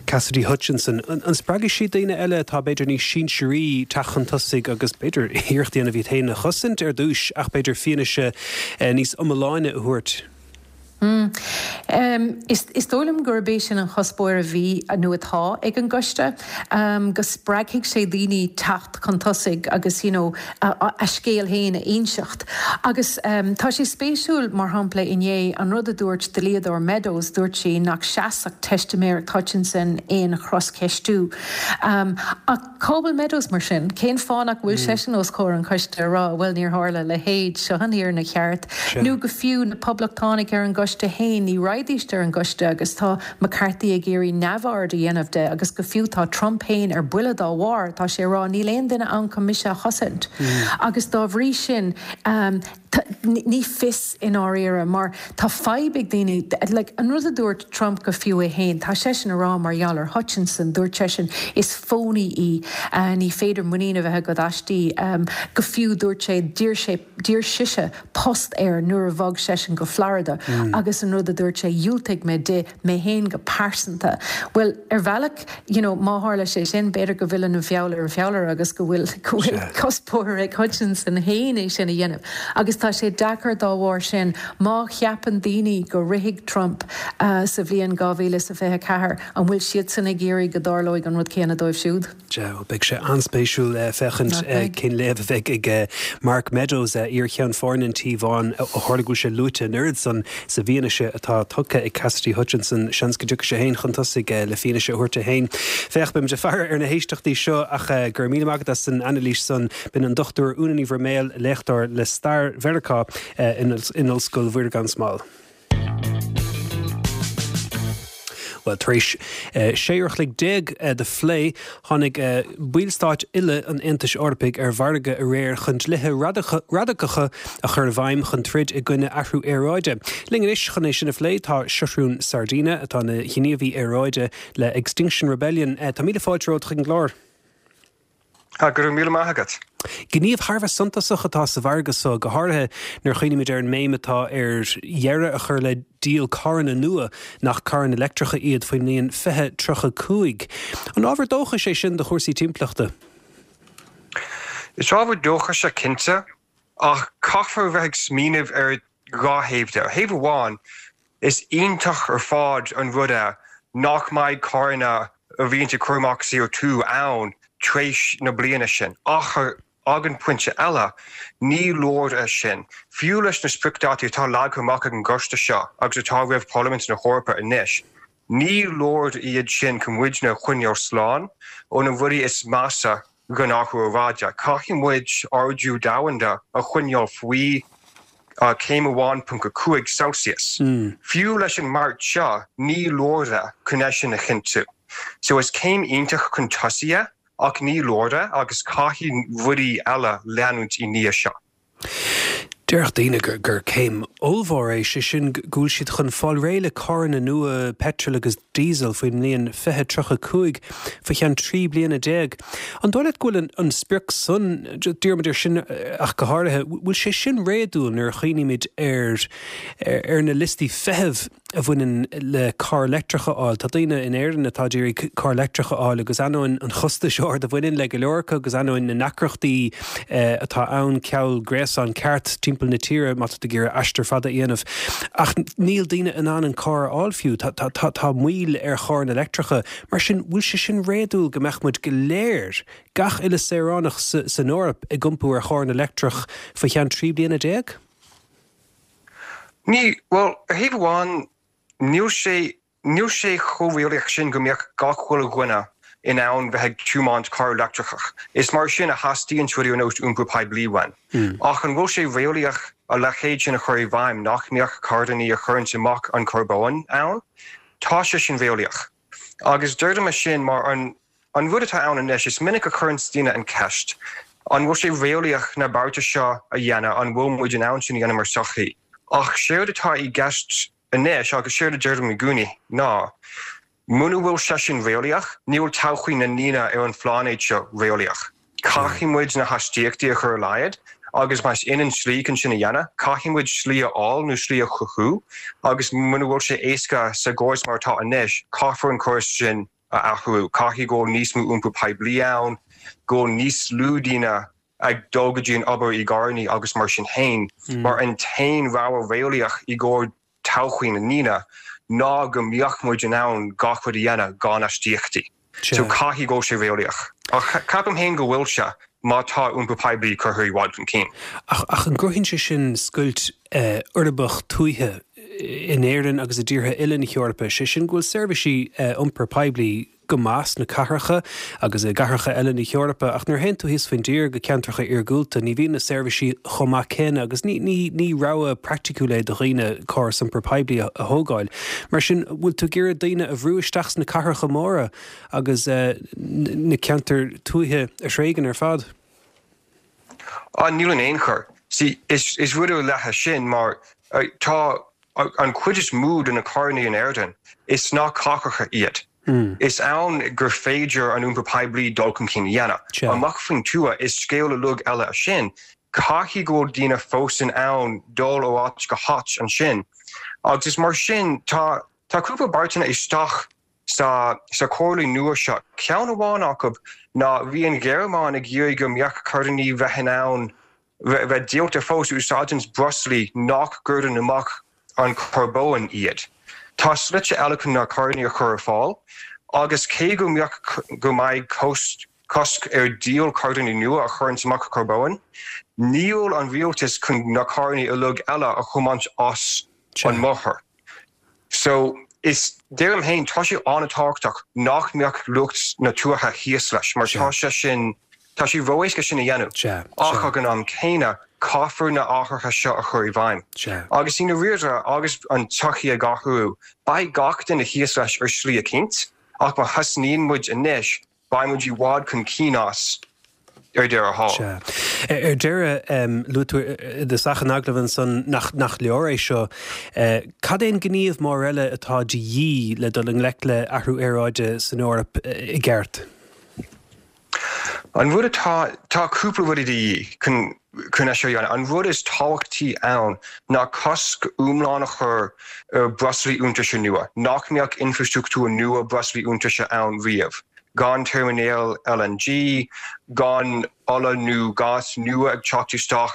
Cassidy Hutchinson, an spreagfaidh sí daoine eile atá b'fhéidir níos sinsearaí teacht chun tosaigh agus b'fhéidir iarracht a dhéanamh iad féin a chosaint ar dtús ach b'fhéidir fianaise níos iomláine a thabhairt? Is dóigh liom gurb é sin an chuspóir a bhí nó atá ag an gcoiste, go spreagfaidh sé daoine teacht chun tosaigh agus you know a scéal féin a inseacht. Agus tá sé spéisiúil, mar shampla inné, an rud a dúirt dlíodóir Meadows, dúirt sí nach seasfadh teistiméireacht Hutchinson aon chroscheistiú. Ach cá bhfuil Meadows mar sin? Cén fáth nach bhfuil seisean os comhair an choiste a rá bhuel níor tharla a leithéid, seo an fhírinne cheart? Nó go fiú na Poblachtánaigh ar an gcoiste féin, ní raghaidíst ar an gcoiste agus tá McCarthy ag iarraidh neamhaird a dhéanamh de agus go fiú tá Trump féin ar buile dá bharr, tá sé ag rá níl aon duine ann chun mise a chosaint. Agus dá bhrí sin, ní fios i ndáiríre mar tá fadhb ag daoine, like, an rud a dúirt Trump go fiú é féin, tá seisean ag rá mar gheall ar Hutchinson, dúirt seisean is phony í, ní féidir muinín a bheith agat aisti, go fiú dúirt sé, d'iarr sé, d'iarr sise post air nuair a bhog seisean go Florida agus an rud a dúirt sé, dhiúltaigh mé di, mé féin go pearsanta. Bhuel, ar bhealach, you know, má tharla sé sin, b'fhéidir go bhfilleann an feall ar an bhfeallaire agus go bhfuil, go bhfuil cuspóir ag Hutchinson féin é sin a dhéanamh. Agus tá sé deacair dá bharr sin, má cheapann daoine go rithfidh Trump sa bhliain dhá mhíle is a fiche a ceathair, an bhfuil siadsan ag iarraidh go dtarlóidh an rud céanna dóibh siúd? Sea, beidh sé an-spéisiúil féachaint cén léamh a bheidh ag Mark Meadows, iar-cheann foirne an Tí Bháin, ó tharla go bhfuil sé luaite an oiread san sa bhfianaise atá tugtha ag Cassidy Hutchinson. Seans go dtiocfaidh sé féin chun tosaigh le fianaise a thabhairt é féin. Féach, beimid ag faire ar na héisteachtaí seo ach go raibh míle maith agat as an anailís san. B'in an Dochtúir Úna Ní Bhroiméil, léachtóir le stair Mheiriceá in Ollscoil Mhuire gan Smál. Bhuel, tar éis sé uair a chloig déag de phlé, tháinig ballstáit uile an Aontais Eorpaigh ar mhargadh aréir chun dlíthe radacacha a chur i bhfeidhm chun troid i gcoinne athrú aeráide. Linn anois chun é sin a phlé tá Seathrún Sardina, atá ina ghníomhaí aeráide le Extinction Rebellion. Tá míle fáilte romhat chuig an gclár. Go raibh míle maith agat. Gníomh thar a bheith suntasach atá sa mhargadh seo, go háirithe nuair a chuimhnímid ar an mbéim atá ar dheireadh a chur le díol carranna nua nach carranna leictreacha iad faoin mbliain fiche tríocha cúig. An ábhar dóchais é sin do chúrsaí timpeallachta? Is ábhar dóchais é cinnte, ach caithfear a bheith ag smaoineamh ar dhá thaobh de. Ar thaobh amháin, is iontach ar fad an rud é nach mbeidh carranna a bhíonn ag cur amach C O two ann tar éis na bliana sin. Ach ag an bpointe eile, ní leor é sin. Fiú leis na spriocdhátaí atá leagtha amach ag an gcoiste seo agus atá roimh Parlaimint na hEorpa anois, ní leor iad sin chun muidne a choinneáil slán ó na rudaí is measa den athrú aeráide. Caithfidh muid ardú domhanda a choinneáil faoi céim amháin ponc a cúig Celsius. Fiú leis an mbeart seo, ní leor é chun é sin a chinntiú. So is céim iontach chun tosaigh é, ach ní leor é agus caithfidh rudaí eile leanúint i ndiaidh seo. Déarfadh daoine gur gur céim ollmhór é, sé sin go bhfuil siad chun fáil réidh le carranna nua peitril agus diesel faoin mbliain fiche tríocha cúig, faoi cheann trí bliana déag. An dóigh leat go bhfuil an sprioc san, díreoimid air sin ach go háirithe, bhfuil sé sin réadúil nuair a chuimhnímid ar ar na liostaí feithimh a bhaineann le carr leictreach a fháil. Tá daoine in Éirinn atá ag iarraidh carr leictreach a fháil agus ainneoin an chostais ard a bhaineann le go leor acu agus ainneoin na ndeacrachtaí atá ann ceal gréasán ceart timpeall na tíre má tá tú ag iarraidh aistear fada a dhéanamh. Ach níl daoine in ann an carr a fháil fiú. Tá, tá, tá, tá moill ar charranna leictreacha. Mar sin, bhfuil sé sin réadúil go mbeadh muid go léir, gach uile saoránach sa, san Eoraip ag iompú ar charranna leictreach faoi cheann trí bliana déag? Ní, bhuel, ar thaobh amháin, níl sé, níl sé chomh réalaíoch sin go mbeadh gach chuile dhuine in ann bheith ag tiomáint carr leictreach. Is mar sin a theastaíonn rudaí ar nós iompar poiblí uainn. Ach an bhfuil sé réalaíoch a leithéid sin a chur i bhfeidhm nach mbeadh carranna a chuireanns amach an carbón ann? Tá sé sin réalaíoch. Agus deirim é sin mar an An rud atá ann anois, is minic a chuireanns daoine an cheist, an bhfuil sé réalaíoch na bearta seo a dhéanamh, an bhfuil muid in ann sin a dhéanamh mar sochaí? Ach séard atá i gceist anois, agus séard a deirim i gcónaí, ná, muna bhfuil sé sin réalaíoch, níl todhchaí na ndaoine ar an phláinéad seo réalaíoch. Caithfidh muid na hastaíochtaí a chur ar laghad, agus más in an tslí chun sin a dhéanamh, caithfidh muid slí a fháil nó slí a chruthú, agus muna bhfuil sé éasca sa gcóras mar atá anois, caithfear an córas sin a athrú. Caithfidh go bhfuil níos mó iompar poiblí ann, go bhfuil níos lú daoine ag dul go dtí an obair i gcarrannaí agus mar sin féin, mar an t-aon rogha réalaíoch i gcomhair todhchaí na ndaoine ná go mbeadh muid in ann gach rud a dhéanamh gan astaíochtaí. So caithfidh go bhfuil sé réalaíoch. Ach ceapaim féin go bhfuil sé má tá iompar poiblí curtha i bhfad chun cinn. Ach ach an gcruthaíonn sé sin scoilt uirbeach tuaithe in Éirinn agus i dtíortha eile na hEorpa, sé sin go bhfuil seirbhísí iompar poiblí go maith sna cathracha agus i gcathracha eile na hEorpa, ach nuair a théann tú thíos faoin dtír go ceantracha iargúlta, ní bhíonn na seirbhísí chomh maith céanna agus ní ní ní rogha praiticiúil é do dhaoine córas iompar poiblí a thógáil. Mar sin, bhfuil tú ag iarraidh daoine a bhrú isteach sna cathracha móra agus na ceantair tuaithe a thréigean ar fad? Á, níl in aon chor. See, is is rud ar leith é sin mar tá an chuid is mó de na carrannaí in Éirinn, is sna cathracha iad. Is ann gur féidir an iompar poiblí dul chun cinn a dhéanamh. Amach faoin tuath, is scéal uilig eile é sin. Caithfidh go bhfuil daoine fós in ann dul ó áit go háit ansin. Agus is mar sin, tá tá cúpla beartanna isteach sa sa chomhairle nua seo. Ceann amháin acu ná bhí an Ghearmáin ag iarraidh go mbeadh carrannaí bheith in ann bheith díolta fós úsáideanns breoslaí nach gcuireann amach an carbón iad. Tá slite eile chun na carrannaí a chur ar fáil agus cé go mbeadh go mbeidh cosc ar dhíol carrannaí nua a chuireanns amach carbón, níl an rialtas chun na carrannaí uilig eile a chomaint as an mbóthar. So, is, deirim féin, tá sé an-tábhachtach nach mbeadh lucht na tuaithe thíos leis mar tá sé sin, tá sé ró-éasca sin a dhéanamh. Ach ag an am céanna, caithfear na hathruithe seo a chur i bhfeidhm. Agus i ndáiríre, agus an tsochaí ag athrú, beidh gach duine thíos leis ar shlí eicínt, ach má thosnaíonn muid anois, beidh muid i bhfad chun cinn as ar deireadh thall. Sea. Ar deireadh, luaigh tú i dtosach an agallaimh ansan nach nach leor é seo. Cad é an gníomh mór eile atá de dhíth le dul i ngleic le athrú aeráide san Eoraip i gceart? An rud atá, tá cúpla rudaí de dhíth chun chun é seo a dhéanamh. An rud is tábhachtaí ann ná cosc iomlán a chur ar breoslaí iontaise nua, nach mbeadh infreastruchtúr nua breoslaí iontaise ann riamh, gan teirminéil L N G, gan ola nó gás nua ag teacht isteach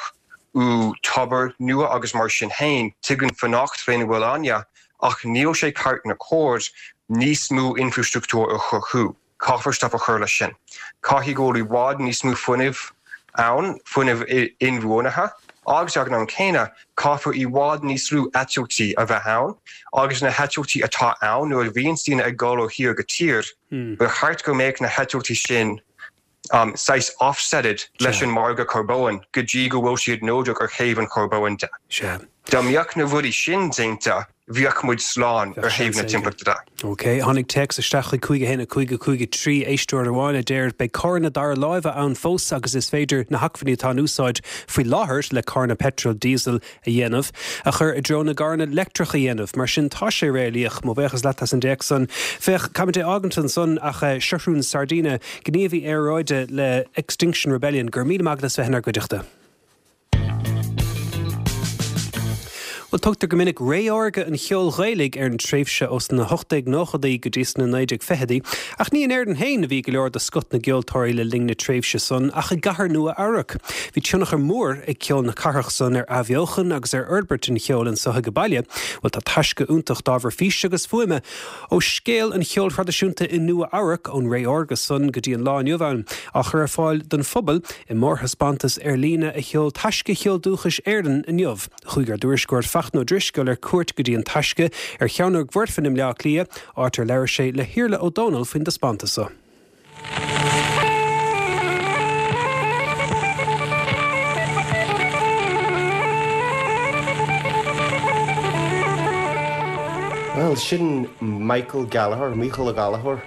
ó thobair nua agus mar sin féin. Tuigim fanacht lena bhfuil againne ach níl sé ceart ná cóir níos mó infreastruchtúr a chruthú. Caithfear stop a chur leis sin. Caithfidh go bhfuil i bhfad níos mó fuinnimh ann, fuinneamh inbhuanaithe, agus ag an am céanna, caithfear i bhfad níos lú eitiltí a bheith ann, agus na heitiltí atá ann, nuair a bhíonns daoine ag dul ó thír go tír, ba cheart go mbeadh na heitiltí sin saghas offsetted leis an margadh carbóin go dtí go bhfuil siad neodrach ar thaobh an charbóin de. Dá mbeadh na rudaí sin déanta, bheadh muid slán ar thaobh na timpeallachta de. Ok, tháinig téacs isteach chuig cúig a haon a cúig a cúig a trí, éisteoir amháin a deir beidh carranna dara láimhe ann fós agus is féidir na hacmhainní atá in úsáid faoi láthair le carranna peitril diesel a dhéanamh a chur i dtreo na gcarranna leictreach a dhéanamh. Mar sin tá sé réalaíoch. Mo bhuíochas leat as an dtéacs san. Féach, caithfimid é a fhágaint ansan ach Seathrún Sardina, gníomhaí aeráide le Extinction Rebellion, go raibh míle maith agat as bheith inár gcuideachta. Bhuel, tugtar go minic ré órga an cheoil Ghaelaigh ar an tréimhse ós na hocht déag nóchaidí go dtí sna naoi déag fichidí, ach ní in Éirinn féin a bhí go leor de scoth na gceoltóirí le linn na tréimhse san, ach i gcathair Nua-Eabhrac. Bhí tionchar mór ag ceol na cathrach san ar athbheochan agus ar fhorbairt an cheoil anso ag baile. Bhuel, tá taisce iontach d'ábhar físe agus fuaime ó scéal an cheoil thraidisiúnta i Nua-Eabhrac ón ré órga san go dtí an lá inniu ann, á chur ar fáil don phobal i mórthaispeántas ar líne a sheol Taisce Cheol Dúchais Éireann inniu. Chuaigh ár dtuairisceoir Fachtna Ó Drisceoil ar cuairt go dtí an Taisce ar Chearnóg Mhuirfean i mBleá Cliath, áit ar labhair sé le hIarla Ó Dónaill faoin dtaispeántas so. Bhuel, sin Michael Gallagher, Mícheál Ó Gallchóir,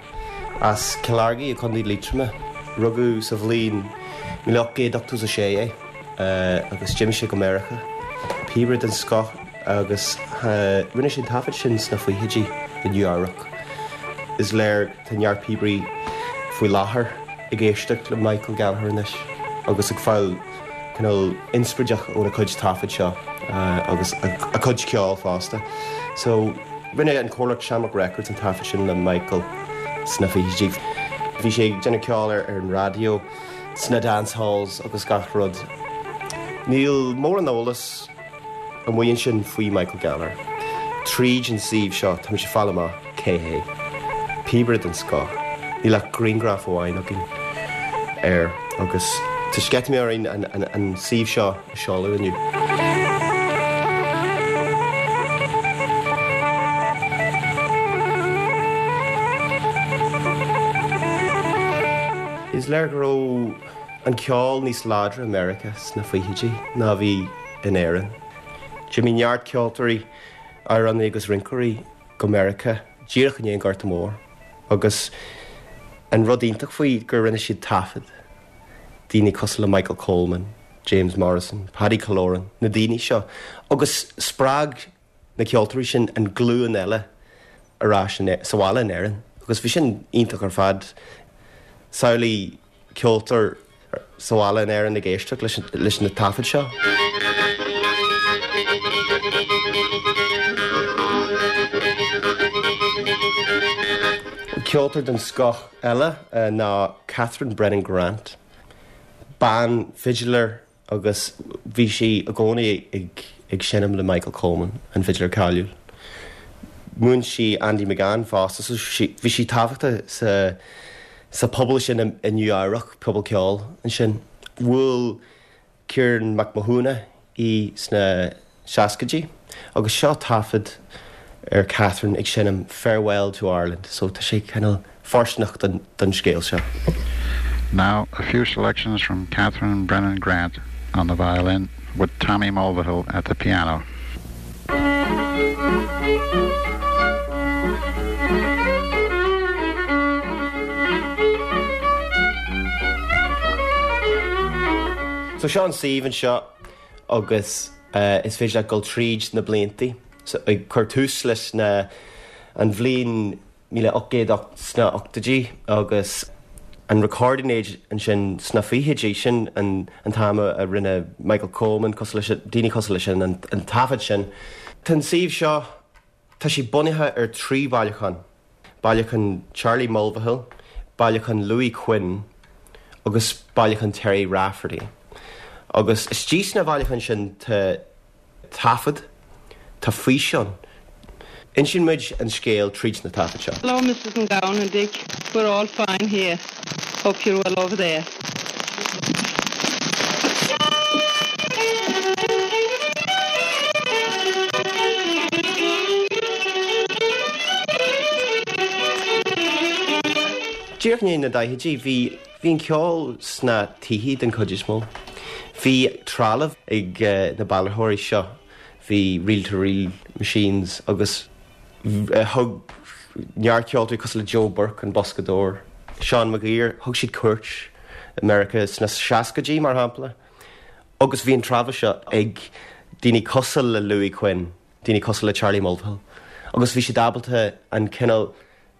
as Cill Airgí i gContae Liatroma. Rugadh sa bhliain míle ocht gcéad ochtó a sé é agus d'imigh sé go Meiriceá. Píobaire den scoth agus rinne sé an taifead sin sna fichidí i Nua-Eabhrac. Is léir tá neart píobairí faoi láthair ag éisteacht le Michael Gallagher anois agus ag fáil cineál inspioráideach óna cuid taifead seo agus a cuid ceoil fosta. So rinne an comhlacht Shamrock Records an taifead sin le Michael sna fichidí. Bhí sé ag déanamh ceoil ar an raidió, sna dance halls agus gach rud. Níl mórán eolas amuigh ansin faoi Michael Gallagher. Tríd an suíomh seo tá muid ag fáil amach cé hé. Píobaire den scoth. Níl ach grianghraf amháin againn air agus tá sceitimíní orainn an, an, an suíomh seo a seoladh inniu. Is léir go raibh an ceol níos láidre i Meiriceá sna fichidí ná a bhí in Éirinn. D'imigh neart ceoltóirí, amhránaí agus rinceoirí go Meiriceá díreach i ndiaidh an Ghorta Mhóir agus an rud iontach faoi gur rinne siad taifead. Daoine cosúil le Michael Coleman, James Morrison, Paddy Killoran, na daoine seo agus spreag na ceoltóirí sin an glúin eile ar ais sa bhaile in Éirinn agus bhí sin iontach ar fad. Samhlaigh ceoltóir sa bhaile in Éirinn ag éisteacht leis na taifid seo. Ceoltóir den scoth eile ná Catherine Brennan Grant. Bean fiddler agus bhí sí i gcónaí ag ag seinm le Michael Coleman, an fiddler cáiliúil. Mhúin sí Andy McGann fosta, so bhí sí tábhachtach sa sa pobal sin i Nua-Eabhrac, pobal ceoil ansin. Bhuail Ciarán Mac Mathúna í sna seascaidí agus seo taifead ar Catherine ag seinm Farewell to Ireland, so tá sé cineál fóirsteanach don, don scéal seo. Now, a few selections from Catherine Brennan Grant on the violin with Tommy Mulvihill at the piano. So seo an suíomh anseo agus uh, is féidir leat dul tríd na blianta so, ag cur tús leis na an bhliain míle ocht gcéad sna ochtóidí agus an recording age ansin sna fichidí sin an, an t-am a rinne Michael Coleman cosúil leis daoine cosúil leis sin an, an taifead sin. Tá an suíomh seo tá sé bunaithe ar trí bhailiúchán. Bailiúchán Charlie Mulvihill, bailiúchán Louis Quinn agus bailiúchán Terry Rafferty. Agus istigh sna bailiúcháin sin tá taifead, tá físeán. Insíonn muid an scéal tríd na taifid seo. Hello, Mrs. McGowan and Dick. We're all fine here. Hope you're well over there. Díreach i ndiaidh na daichidí bhí bhí an ceol sna tithe den chuid is mó. Bhí trealamh ag uh, na bailitheoirí seo. bhí reel-to-reel machines agus thug neart ceoltóirí cosúil le Joe Burke an boscadóir, Seán Maguire, thug siad cuairt i Meiriceá sna seascaidí mar shampla. Agus bhí an trealamh seo ag daoine cosúil le Louis Quinn, daoine cosúil le Charlie Mulvihill. Agus bhí siad ábalta an cineál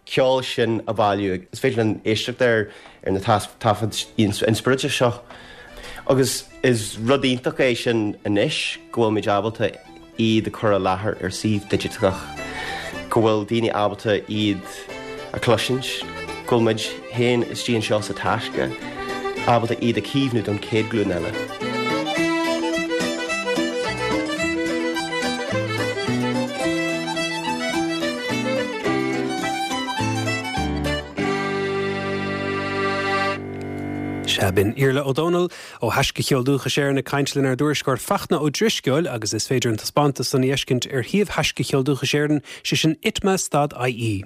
ceoil sin a bhailiú. Is féidir linn éisteacht air ar na taifid inspioráide seo. Agus is rud iontach é sin anois go bhfuilmid ábalta iad a chur i láthair ar suíomh digiteach, go bhfuil daoine ábalta iad a chloisint, go bhfuil muid féin istigh anseo sa Taisce ábalta iad a chaomhnú don chéad ghlúin eile. Sea, b'in Iarla Ó Dónaill ó Thaisce Cheol Dúchais Éireann ag caint lenár dtuairisceoir Fachtna Ó Drisceoil agus is féidir an taispeántas san a fheiscint ar shuíomh Thaisce Cheol Dúchais Éireann, sé sin itma stad I E.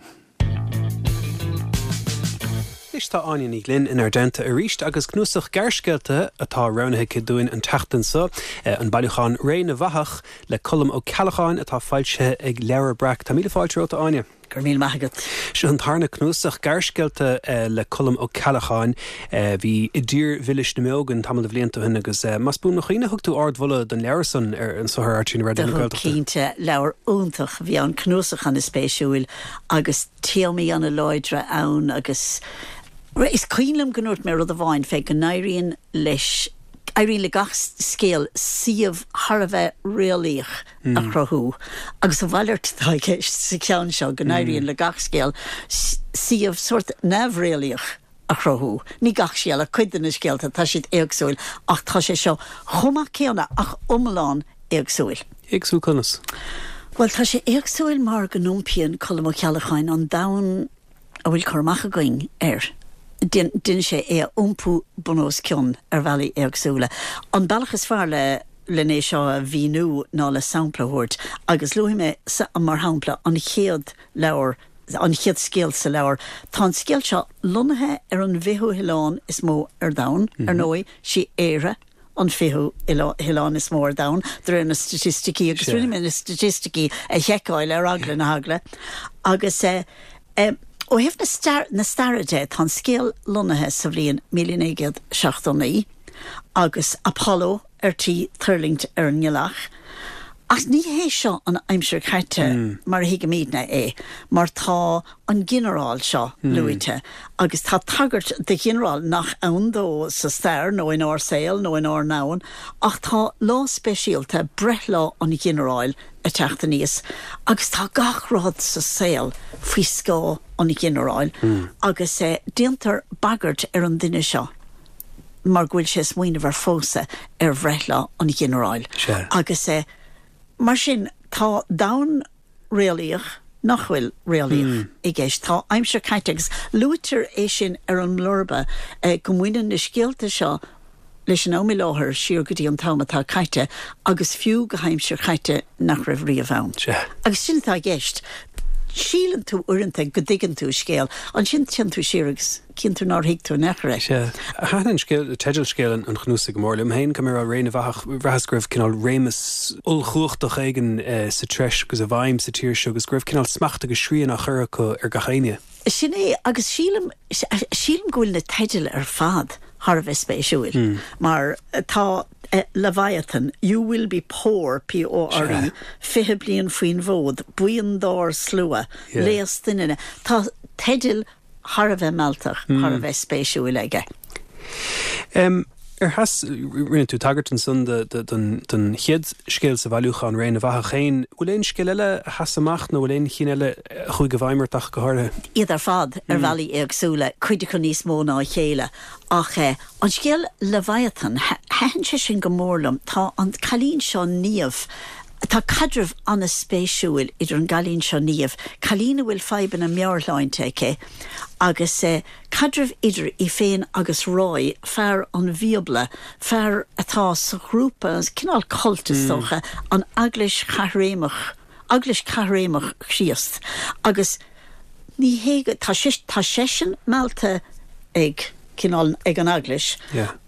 Anois tá Áine Ní Ghlinn inár dteannta arís agus cnuasach gearrscéalta atá roghnaithe aici dúinn an tseachtain seo, an bailiúchán Ré na bhFathach le Colm Ó Ceallacháin atá foilsithe ag Leabhar Breac. Tá míle fáilte romhat, a Áine. Go raibh míle maith agat. Seo an tarna cnuasach gearrscéalta le Colm Ó Ceallacháin. Bhí I dTír Mhilis na mBeo againn tamall de bhlianta ó shin agus más buan mo chuimhne thug tú ardmholadh don leabhar san ar an saothar R T na Raidió na Gaeltachta. Cinnte, leabhar iontach. Bhí an cnuasach an-spéisiúil agus téamaí an-láidre ann agus is cuimhin liom go ndúirt mé rud amháin fé go n-éiríonn leis, éiríonn le gach scéal suíomh thar a bheith réalaíoch a chruthú agus a mhalairt atá i gceist sa cheann seo, go n-éiríonn le gach scéal suíomh sórt neamhréalaíoch a chruthú. Ní gach scéal ach cuid de na scéalta, tá siad éagsúil ach tá sé seo chomh maith céanna ach iomlán éagsúil. Éagsúil conas? Bhuel, tá sé éagsúil mar go n-iompaíonn Colm Ó Ceallacháin an domhan a bhfuil cur amach againn air. Déanann sé é a iompú bun os cionn ar bhealaí éagsúla. An bealach is fearr le len é seo a mhíniú ná le sampla a thabhairt, agus luafaidh mé mar shampla an chéad leabhar, an chéad scéal sa leabhar. Tá an scéal seo lonnaithe ar an bhfichiú hoileán is mó ar domhan, ar ndóigh, sí Éire an fichiú hoileán is mó ar domhan, de réir na staitisticí, agus rinne mé na staitisticí a sheiceáil ar eagla na heagla. Agus eh, ó thaobh na staire de, tá an scéal lonnaithe sa bhliain míle naoi gcéad seachtó naoi, agus Apollo ar tí tuirlingt ar an ngealach. Ach ní hé seo an aimsir chaite mar a thuigimidne é, mar tá an ginearál seo luaite, agus tá tagairt do ghinearál nach ann dó sa stair nó inár saol nó inár ndomhan, ach tá lá speisialta, breithlá an ghinearáil, ag teacht aníos, agus tá gach rud sa saol faoi scáth an ghinearáil, agus déantar bagairt ar an duine seo mar go bhfuil sé ag smaoineamh ar phósadh ar bhreithlá an ghinearáil. Agus mar sin, tá domhan réalaíoch nach bhfuil réalaíoch i gceist. Tá aimsir chaite agus luaitear é sin ar an mblurba go mbaineann na scéalta seo leis an am i láthair siar go dtí an t-am atá caite agus fiú go haimsir chaite nach raibh riamh ann. Agus sin atá i gceist. Síleann tú uaireanta go dtuigeann tú scéal, ansin téann tú siar agus cíonn tú nár thuig tú in aon chor é. Sea. Thaitin an scéal, teideal scéal an chnuasaigh go mór liom féin, go raibh Ré na bhFathach, bhraitheas go raibh cineál réimeas ollchumhachtach éigin sa treis agus i bhfeidhm sa tír seo agus go raibh cineál smacht agus srian á chur acu ar gach éinne. Sin é, agus sílim, sílim go bhfuil na teidil ar fad thar a bheith spéisiúil, mar tá Leviathan, You Will Be Poor, P O R E, Fiche Bliain Faoin bhFód, Buíon Dár Slua, Léas Doininne. Tá teidil thar a bheith mealltach, thar a bheith spéisiúil aige. Ar sheas, rinne tú tagairt ansan don chéad scéal sa bhailiúchán, Ré na bhFathach féin. Bhfuil aon scéal eile a sheas amach nó bhfuil aon chinn eile a chuaigh i bhfeidhm ort ach go háirithe? Iad ar fad ar bhealaí éagsúla, cuid acu níos mó ná a chéile. Ach an scéal Leviathan, thaitin sé sin go mór liom. Tá an cailín seo Niamh, tá caidreamh an-spéisiúil idir an gcailín seo Niamh, cailín a bhfuil fadhbanna meabhairshláinte aici, agus caidreamh idir í féin agus Roy, fear an Bhíobla, fear atá sa ghrúpa, cineál cult is dócha, an Eaglais Chaithréimeach, Eaglais Chaithréimeach Chríost. Agus ní hé go, tá sé, tá seisean meallta ag. cineál ag an eaglais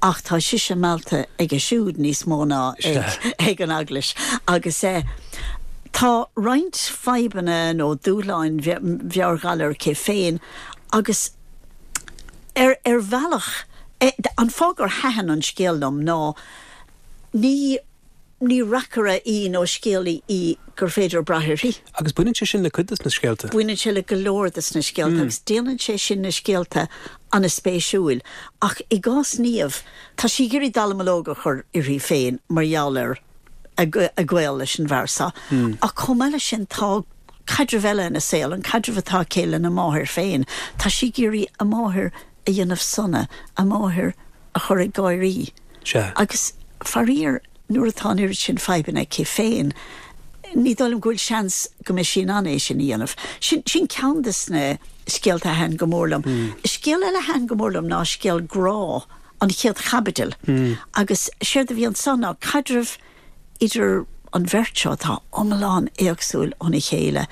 ach tá sise meallta aige siúd níos mó ná ag an eaglais agus eh, tá roinnt fadhbanna nó dúshláin mheabhairghalair aici féin agus ar ar bhealach eh, an fáth gur thaitin an scéal liom ná ní ní reacaire í nó scéalaí í gur féidir brath uirthi. Agus baineann sé sin le cuid de na scéalta. Baineann sé le go leor de na scéalta mm. agus déanann sé sin na scéalta an-spéisiúil. Ach i gcás Niamh tá sí ag iarraidh dallamullóg a chur uirthi féin mar gheall ar a gaol leis an bhfear seo. Mm. Ach chomh maith leis sin tá caidreamh eile ina saol an caidreamh atá aici lena máthair féin. Tá sí ag iarraidh a máthair a dhéanamh sona a máthair a chur ag gáirí. Agus faraor nuair atá an oiread sin fadhbanna aici féin, ní dóigh liom go bhfuil seans go mbeidh sí in ann é sin a dhéanamh. Sin sin ceann de na scéalta a thaitin go mór liom. Mm. Scéal eile a thaitin go mór liom ná scéal grá an chéad chaibidil. Mm. Agus séard a bhí ansan ná caidreamh idir an bheirt seo atá iomlán éagsúil óna chéile.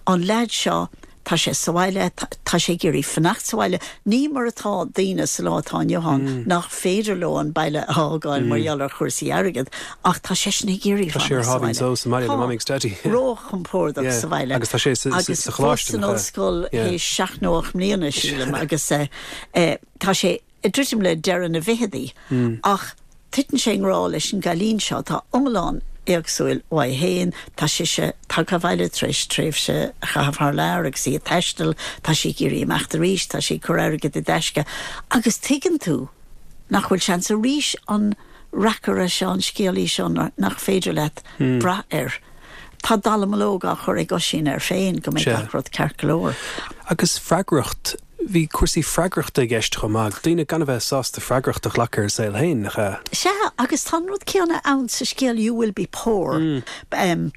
An leaid seo tá sé sa bhaile, tá sé ag iarraidh fanacht sa bhaile, ní mar atá daoine sa lá atá inniu ann mm. nach féidir leo an baile a fhágáil mm. mar gheall ar chúrsaí airgid, ach tá seisean ag iarraidh Tá sé ar sháimhín só sa mbaile le Mamaí agus Daidí. Róchompordach sa bhaile. Agus tá sé sa choláiste. San ollscoil théis seacht nó ocht mbliana sílim agus eh, eh, tá sé ag druidim le deireadh na bhfichidí mm. ach titeann sé i ngrá leis an gcailín seo atá iomlán éagsúil uaidh féin, tá sise tagtha abhaile tar éis tréimhse a chaitheamh thar lear agus í ag taisteal, tá sí ag iarraidh imeacht arís, tá sí ag cur airgead i dtaisce agus tuigeann tú nach bhfuil seans arís an reacaire seo, an scéalaí seo nach féidir leat brath air. Tá dallamullóg á chur ag Oisín air féin go mbeidh gach rud ceart go leor. Agus freagracht Bhí cúrsaí freagrachta i gceist chomh maith, daoine gan a bheith sásta freagracht a ghlacadh ar a saol féin, nach ea? Sea, agus tá an rud céanna ann sa scéal You Will Be Poor. Mm.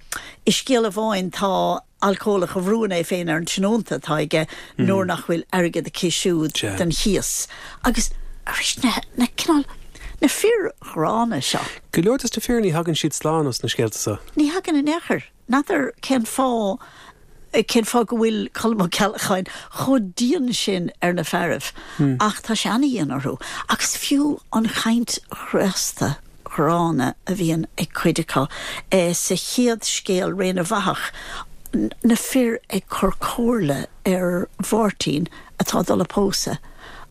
I scéal amháin tá alcólach a bhrúann é féin ar an tionónta atá aige mm. nuair nach bhfuil airgead aici siúd don chíos. Agus arís na, na cineál na fir ghránna seo. Go leor des na fir ní thagann siad slán os na scéalta seo. Ní thagann in aon chor. N'fheadar cén fáth cén fáth go bhfuil Colm Ó Ceallacháin chomh dian sin ar na fearaibh, hmm. ach tá sé an-dhian orthu. Agus fiú an chaint chraosta ghránna a bhíonn ag cuid acu e, sa chéad scéal Ré na bhFathach, na fir ag cur comhairle ar Mháirtín atá ag dul a pósadh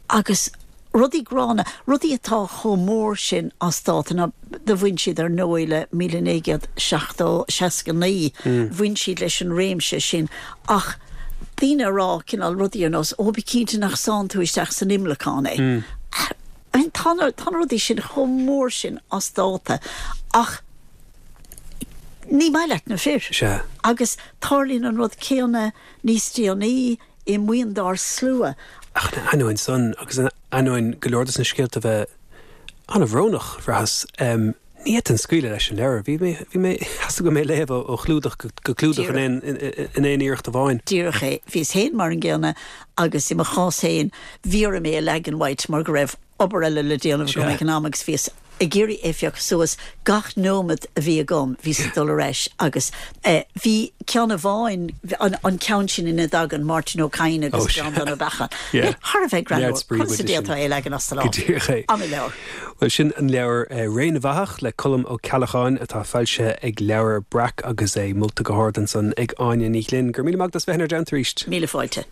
agus rudaí gránna, rudaí atá chomh mór sin as dáta ná do bhain siad ar ndóigh le míle naoi gcéad seachtó, seasca naoi, bhain siad leis an réimse sin ach daoine a rá cineál rudaí ar nós, ó bí cinnte nach sánn tú isteach san imleacán é. I mean tá na, tá na rudaí sin chomh mór sin as dáta ach ní maith leat na fir. Sea. Agus tarlaíonn an rud céanna níos déanaí i mBuíon dár Slua. Ach in ainneoin san, agus in ainneoin go leor de na scéalta bheith an-bhrónach, bhraitheas, ní fhéadfainn scaoileadh leis an leabhar. Bhí mé, bhí mé, theastaigh uaim é a léamh ó chlúdach go clúdach in aon, in aon iarracht amháin. Díreach é. Bhíos féin mar an gcéanna agus i mo chás féin bhí orm é a leagan uait mar go raibh obair eile le déanamh agam ag an am agus bhíos ag iarraidh é a phiocadh suas gach nóiméad a bhí agam, bhíos ag dul ar ais agus bhí ceann amháin, an ceann sin ina dtagann Máirtín Ó Cadhain agus Breandán Ó Beacháin. Thar a bheith greannmhar, conas a d'fhéadfá é a leagan as do lámh? Go díreach é. An-leabhar. Bhuel, sin an leabhar Ré na bhFathach le Colm Ó Ceallacháin atá foilsithe ag Leabhar Breac agus é molta go hard ansan ag Áine Ní Ghlinn. Go raibh míle maith agat as bheith inár dteannta arís. Míle fáilte.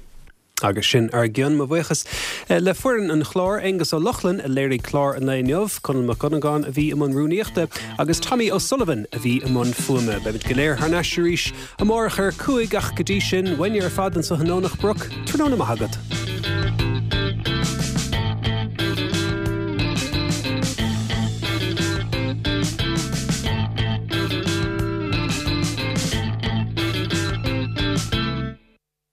Agus sin ár gcionn. Mo bhuíochas le foireann an chláir, Aengus Ó Lochlainn a léirigh clár an lae inniu, Conall Mac Dhonnagáin a bhí i mbun rúnaíochta agus Tommy O'Sullivan a bhí i mbun fuaime. Beimid go léir thar n-ais arís amárach ar a cúig ach go dtí sin, uainne ar fad anseo i nDomhnach Broc, tráthnóna maith agat.